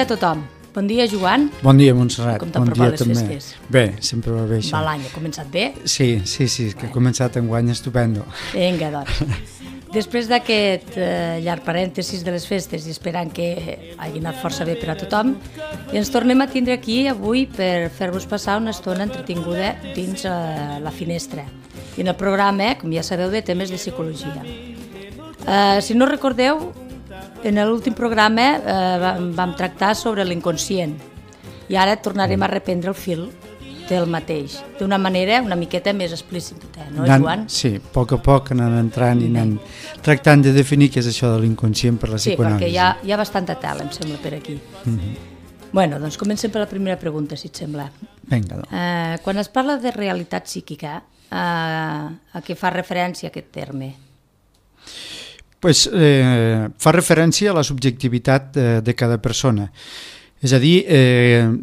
dia a tothom. Bon dia, Joan. Bon dia, Montserrat. Com t'apropa les festes? Bé, sempre va bé això. Va, l'any ha començat bé? Sí, que ha començat enguany estupendo. Vinga, doncs. Després d'aquest llarg parèntesis de les festes i esperant que hagi anat força bé per a tothom, ens tornem a tindre aquí avui per fer-vos passar una estona entretinguda dins la finestra. I en el programa, com ja sabeu, de temes de psicologia. Si no recordeu, en l'últim programa vam tractar sobre l'inconscient i ara tornarem a reprendre el fil del mateix, d'una manera una miqueta més explícita, no, Joan? Sí, a poc anant entrant i anant tractant de definir què és això de l'inconscient per la psicoanàlisi. Sí, perquè hi ha bastanta tela, em sembla, per aquí. Bueno, doncs comencem per la primera pregunta, si et sembla. Vinga, doncs. Quan es parla de realitat psíquica, a què fa referència aquest terme? Fa referència a la subjectivitat de cada persona. És a dir,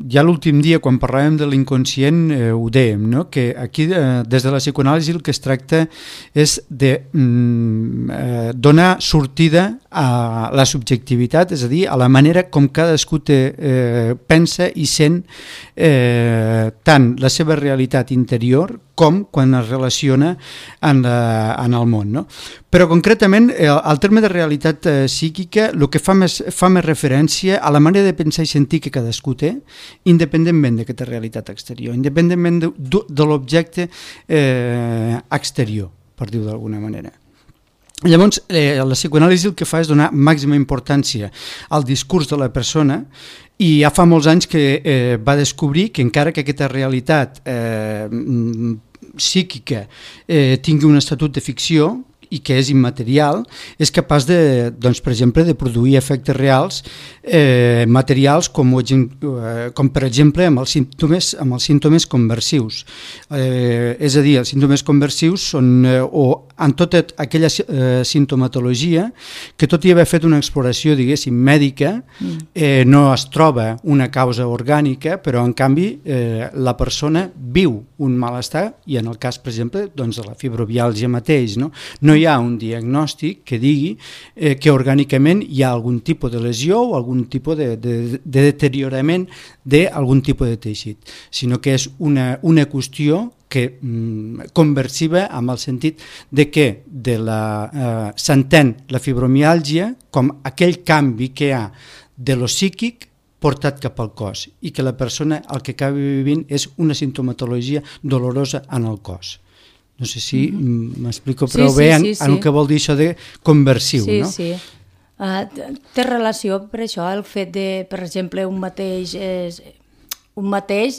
ja l'últim dia quan parlàvem de l'inconscient ho dèiem, no? Que aquí des de la psicoanàlisi el que es tracta és de donar sortida a la subjectivitat, és a dir, a la manera com cadascú pensa i sent tant la seva realitat interior com quan es relaciona en el món, no? Però concretament el terme de realitat psíquica el que fa més referència a la manera de pensar i sentir que cadascú té, independentment d'aquesta realitat exterior, independentment de l'objecte exterior, per dir-ho d'alguna manera. Llavors, la psicoanàlisi el que fa és donar màxima importància al discurs de la persona i ja fa molts anys que va descobrir que encara que aquesta realitat psíquica tingui un estatut de ficció i que és immaterial, és capaç doncs, per exemple, de produir efectes reals materials com per exemple amb els símptomes conversius. És a dir, els símptomes conversius són en tota aquella sintomatologia que tot i haver fet una exploració, diguéssim, mèdica, no es troba una causa orgànica, però en canvi la persona viu un malestar i en el cas, per exemple, doncs, de la fibromiàlgia mateix, no hi ha un diagnòstic que digui que orgànicament hi ha algun tipus de lesió o algun tipus de deteriorament d'algun tipus de teixit, sinó que és una qüestió que conversiva amb el sentit de que s'entén la fibromiàlgia com aquell canvi que hi ha de lo psíquic portat cap al cos i que la persona el que acaba vivint és una sintomatologia dolorosa en el cos. No sé si m'explico prou bé en el que vol dir això de conversiu, no? Sí. Té relació per això el fet de, per exemple, un mateix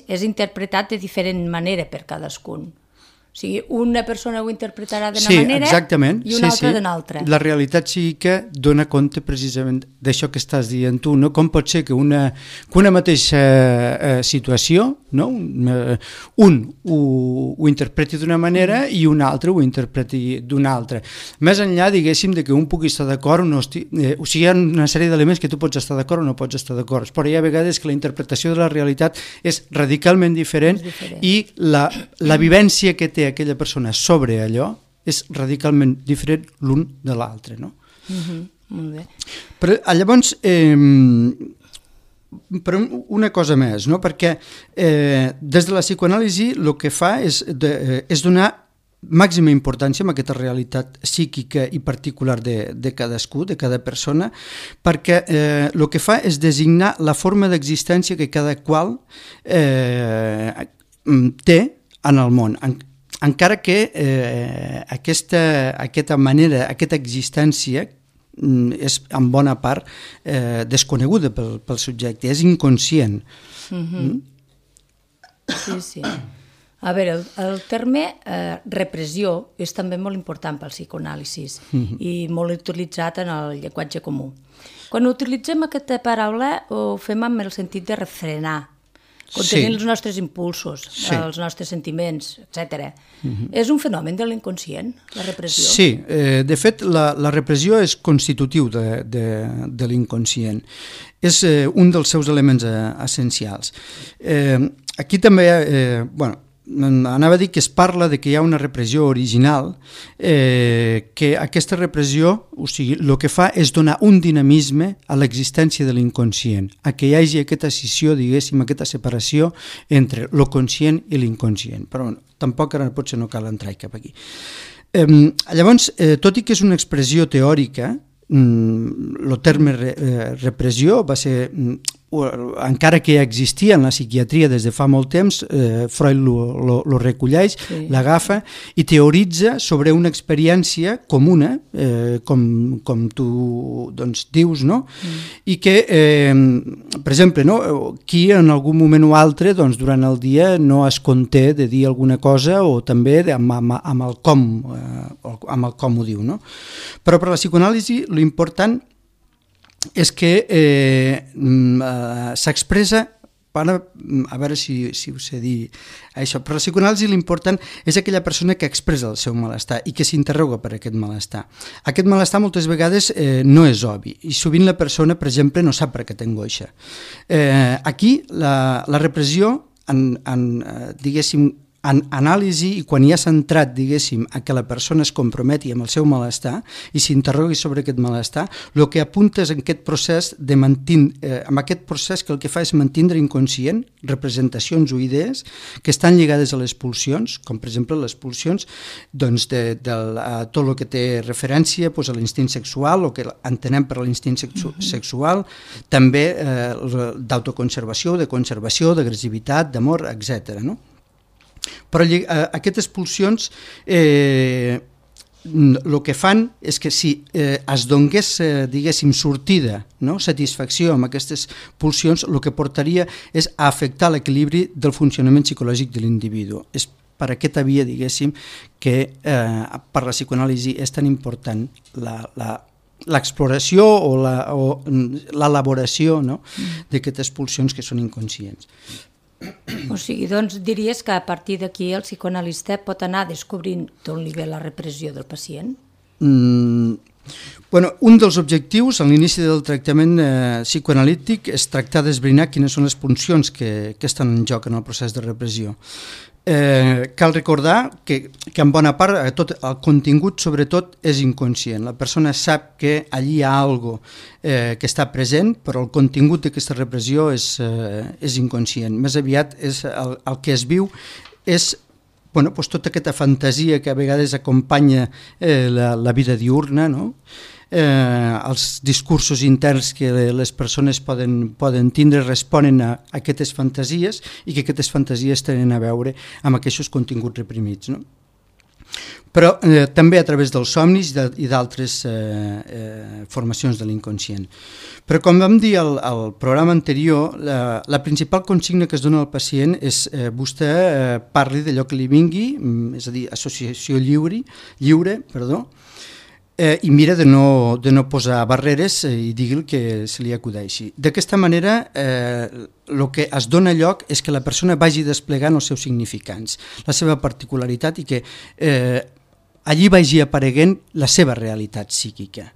és interpretat de diferent manera per cadascun. O sigui, una persona ho interpretarà d'una manera i una altra d'una altra. La realitat psíquica dona compte precisament d'això que estàs dient tu, no? Com pot ser que una mateixa situació, no? Un ho interpreti d'una manera i un altre ho interpreti d'una altra. Més enllà, diguéssim, de que un pugui estar d'acord o no estigui... O sigui, hi ha una sèrie d'elements que tu pots estar d'acord o no pots estar d'acord, però hi ha vegades que la interpretació de la realitat és radicalment diferent i la vivència que té aquella persona sobre allò és radicalment diferent l'un de l'altre, no? Molt bé. Però llavors, però una cosa més, no? Perquè des de la psicoanàlisi el que fa és donar màxima importància a aquesta realitat psíquica i particular de cadascú, de cada persona, perquè el que fa és designar la forma d'existència que cada qual té en el món, encara que aquesta manera, aquesta existència és en bona part desconeguda pel subjecte, és inconscient. Sí. A veure, el terme repressió és també molt important pel psicoanàlisi i molt utilitzat en el llenguatge comú. Quan utilitzem aquesta paraula ho fem amb el sentit de refrenar, contenint els nostres impulsos, els nostres sentiments, etc. És un fenomen de l'inconscient, la repressió? Sí, de fet la repressió és constitutiu de l'inconscient. És un dels seus elements essencials. Aquí també, anava a dir que es parla de que hi ha una repressió original, que aquesta repressió, o sigui, el que fa és donar un dinamisme a l'existència de l'inconscient, a que hi hagi aquesta escissió, diguéssim, aquesta separació entre lo conscient i l'inconscient. Però bueno, tampoc ara potser no cal entrar cap aquí. Llavors, tot i que és una expressió teòrica, el terme repressió va ser, encara que ja existia en la psiquiatria des de fa molt temps, Freud lo recolleix, l'agafa i teoritza sobre una experiència comuna, com tu doncs, dius, no? I que, per exemple, no? Qui en algun moment o altre doncs, durant el dia no es conté de dir alguna cosa o també amb el com ho diu, no? Però per la psicoanàlisi l'important és que s'expressa, a veure si ho sé dir això, però la psicoanàlisi l'important és aquella persona que expressa el seu malestar i que s'interroga per aquest malestar. Aquest malestar moltes vegades no és obvi i sovint la persona, per exemple, no sap per què té angoixa. Aquí la repressió, diguéssim, en anàlisi i quan ja s'ha entrat, diguéssim, a que la persona es comprometi amb el seu malestar i s'interrogui sobre aquest malestar, el que apunta és en aquest procés amb aquest procés que el que fa és mantindre inconscient representacions o idees que estan lligades a les pulsions, com per exemple les pulsions doncs, de tot el que té referència doncs, a l'instint sexual, o que entenem per l'instint sexual, també d'autoconservació, de conservació, d'agressivitat, d'amor, etc. No? Però aquestes pulsions el que fan és que si es donés, diguéssim, sortida, no? Satisfacció amb aquestes pulsions, el que portaria és a afectar l'equilibri del funcionament psicològic de l'individu. És per aquesta via, diguéssim, que per la psicoanàlisi és tan important l'exploració o l'elaboració, no? D'aquestes pulsions que són inconscients. O sigui, doncs diries que a partir d'aquí el psicoanalista pot anar descobrint d'on li ve la repressió del pacient? Bueno, un dels objectius a l'inici del tractament psicoanalític és tractar d'esbrinar quines són les pulsions que estan en joc en el procés de repressió. Cal recordar que en bona part tot el contingut sobretot és inconscient. La persona sap que allí hi ha alguna cosa que està present, però el contingut d'aquesta repressió és inconscient. Més aviat el que es viu és tota aquesta fantasia que a vegades acompanya la vida diurna, no? Els discursos interns que les persones poden tindre responen a aquestes fantasies i que aquestes fantasies tenen a veure amb aquests continguts reprimits, no? Però també a través dels somnis i d'altres formacions de l'inconscient. Però com vam dir al programa anterior, la principal consigna que es dona al pacient és vostè parli d'allò que li vingui, és a dir, associació lliure, i mira de no posar barreres i digui el que se li acudeixi. D'aquesta manera, el que es dona lloc és que la persona vagi desplegant els seus significants, la seva particularitat i que allí vagi apareguent la seva realitat psíquica.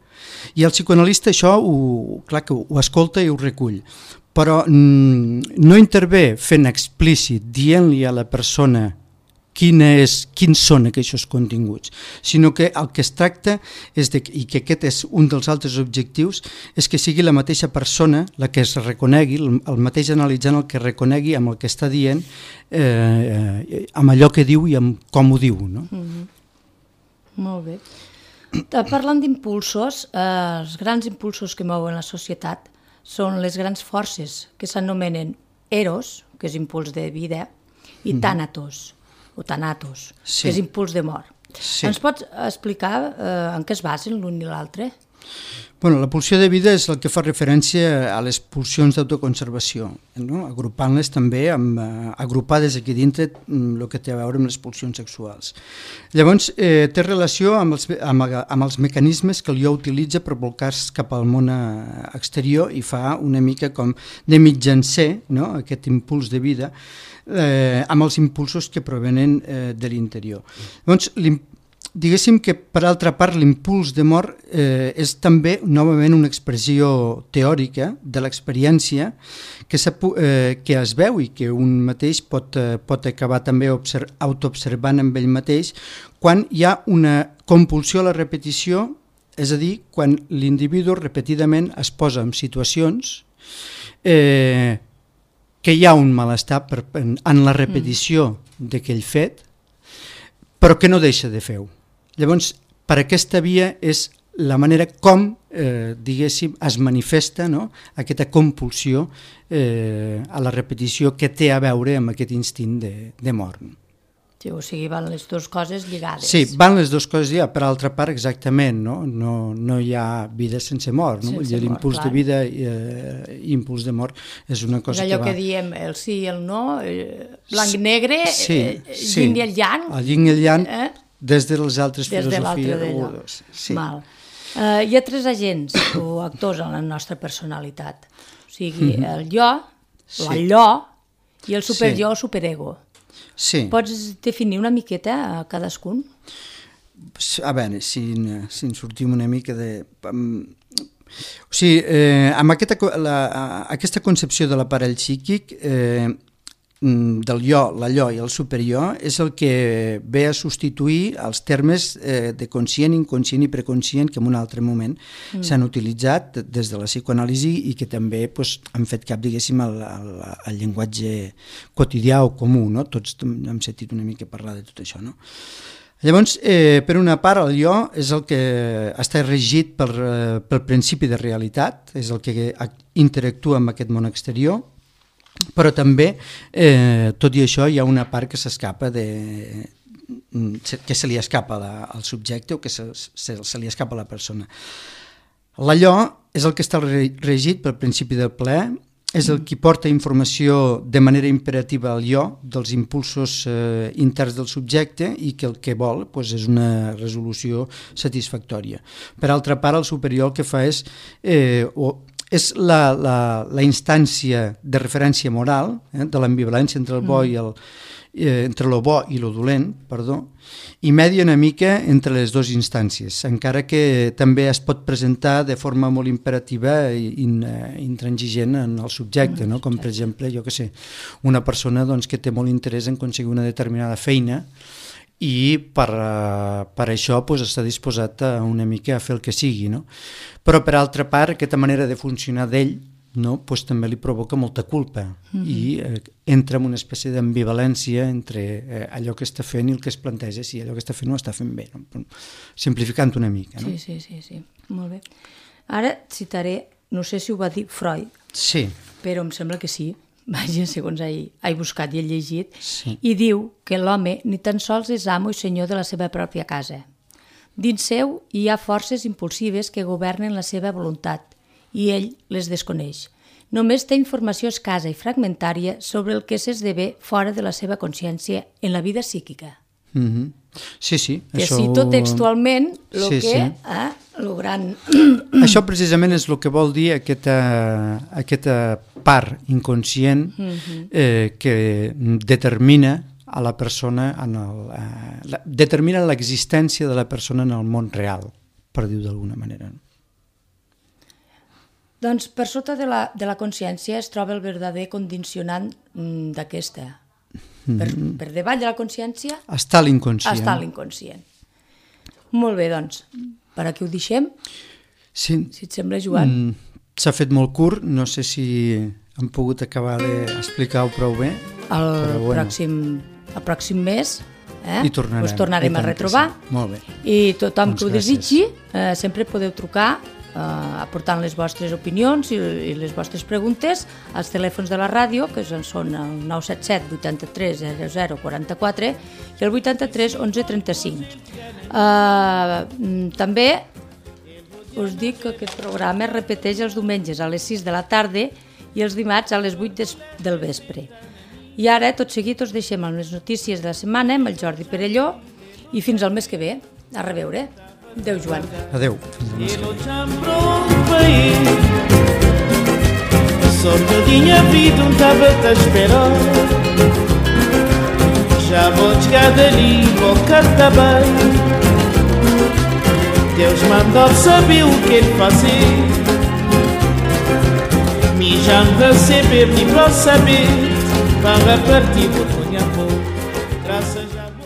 I el psicoanalista això, clar que ho escolta i ho recull, però no intervé fent explícit, dient-li a la persona quins són aquests continguts, sinó que el que es tracta és i que aquest és un dels altres objectius, és que sigui la mateixa persona la que es reconegui, el mateix analitzant el que reconegui amb el que està dient, amb allò que diu i amb com ho diu, no? Molt bé. Parlant d'impulsos, els grans impulsos que mouen la societat són les grans forces que s'anomenen eros, que és impuls de vida, i thanatos, o thanatos, que és impuls de mort. Ens pots explicar en què es basen l'un i l'altre? Bueno, la pulsió de vida és el que fa referència a les pulsions d'autoconservació, no? Agrupant-les també, agrupades aquí dintre el que té a veure amb les pulsions sexuals. Llavors, té relació amb els mecanismes que el jo utilitza per bolcar-se cap al món exterior i fa una mica com de mitjancer, no? Aquest impuls de vida, amb els impulsos que provenen de l'interior. Llavors, diguéssim que, per altra part, l'impuls de mort és també, novament, una expressió teòrica de l'experiència que es veu i que un mateix pot acabar també autoobservant amb ell mateix quan hi ha una compulsió a la repetició, és a dir, quan l'individu repetidament es posa en situacions que hi ha un malestar en la repetició d'aquell fet, però que no deixa de fer-ho. Llavors, per aquesta via és la manera com, diguéssim, es manifesta, no?, aquesta compulsió a la repetició que té a veure amb aquest instint de mort. Sí, o sigui, van les dues coses lligades. Sí, van les dues coses lligades. Per altra part, exactament, no hi ha vida sense mort. No? L'impuls de vida i impuls de mort és una cosa que va... És allò que diem, el sí i el no, blanc i negre, yin i el yang. El yin i el yang, des de les altres filosofies. Sí. Hi ha tres agents o actors en la nostra personalitat. O sigui, el jo, l'allò i el superjo o superego. Sí. Pots definir una miqueta a cadascun? A veure, si en sortim una mica de... O sigui, amb aquesta concepció de l'aparell psíquic, del jo, l'allò i el superior, és el que ve a substituir els termes de conscient, inconscient i preconscient que en un altre moment s'han utilitzat des de la psicoanàlisi i que també han fet cap, diguéssim, al llenguatge quotidià o comú, no? Tots hem sentit una mica parlar de tot això, no? Llavors, per una part, el jo és el que està regit pel principi de realitat, és el que interactua amb aquest món exterior, però també, tot i això, hi ha una part que s'escapa que se li escapa al subjecte o que se li escapa a la persona. L'allò és el que està regit pel principi del plaer, és el que porta informació de manera imperativa al jo dels impulsos interns del subjecte i que el que vol és una resolució satisfactòria. Per altra part, el superior el que fa és la instància de referència moral, de l'ambivalència entre el bo entre lo bo i lo dolent, i media una mica entre les dues instàncies, encara que també es pot presentar de forma molt imperativa i intransigent en el subjecte, no? Com per exemple, jo què sé, una persona que té molt interès en aconseguir una determinada feina i per això està disposat una mica a fer el que sigui, no? Però per altra part aquesta manera de funcionar d'ell també li provoca molta culpa i entra en una espècie d'ambivalència entre allò que està fent i el que es planteja si allò que està fent ho està fent bé, simplificant una mica. Sí, molt bé. Ara citaré, no sé si ho va dir Freud, però em sembla que sí, vaja, segons he buscat i he llegit, i diu que l'home ni tan sols és amo i senyor de la seva pròpia casa. Dins seu hi ha forces impulsives que governen la seva voluntat i ell les desconeix. Només té informació escassa i fragmentària sobre el que s'esdevé fora de la seva consciència en la vida psíquica. Sí. Que cito textualment el gran... Això precisament és el que vol dir aquesta part inconscient que determina a la persona, determina l'existència de la persona en el món real, per dir-ho d'alguna manera. Doncs per sota de la consciència es troba el verdader condicionant d'aquesta. Per davall de la consciència està l'inconscient. Molt bé, doncs, per aquí ho deixem. Sí. Si et sembla, Joan. S'ha fet molt curt, no sé si hem pogut acabar d'explicar-ho prou bé. El pròxim mes us tornarem a retrobar. Molt bé. I tothom que ho desitgi, sempre podeu trucar aportant les vostres opinions i les vostres preguntes als telèfons de la ràdio, que són el 977 83 00 44 i el 83 11 35. També us dic que aquest programa es repeteix els diumenges a les 6 de la tarda i els dimarts a les 8 del vespre. I ara, tot seguit, us deixem amb les notícies de la setmana amb el Jordi Perelló i fins al mes que ve. A reveure. Adéu, Joan. Adéu. Sorte eu tinha vida, estava-te a esperar. Já vou chegar dali, vou cantar bem. Deus mandou saber o que ele fazer. Me já não receber, nem para saber. Para partir do punha amor. Graças a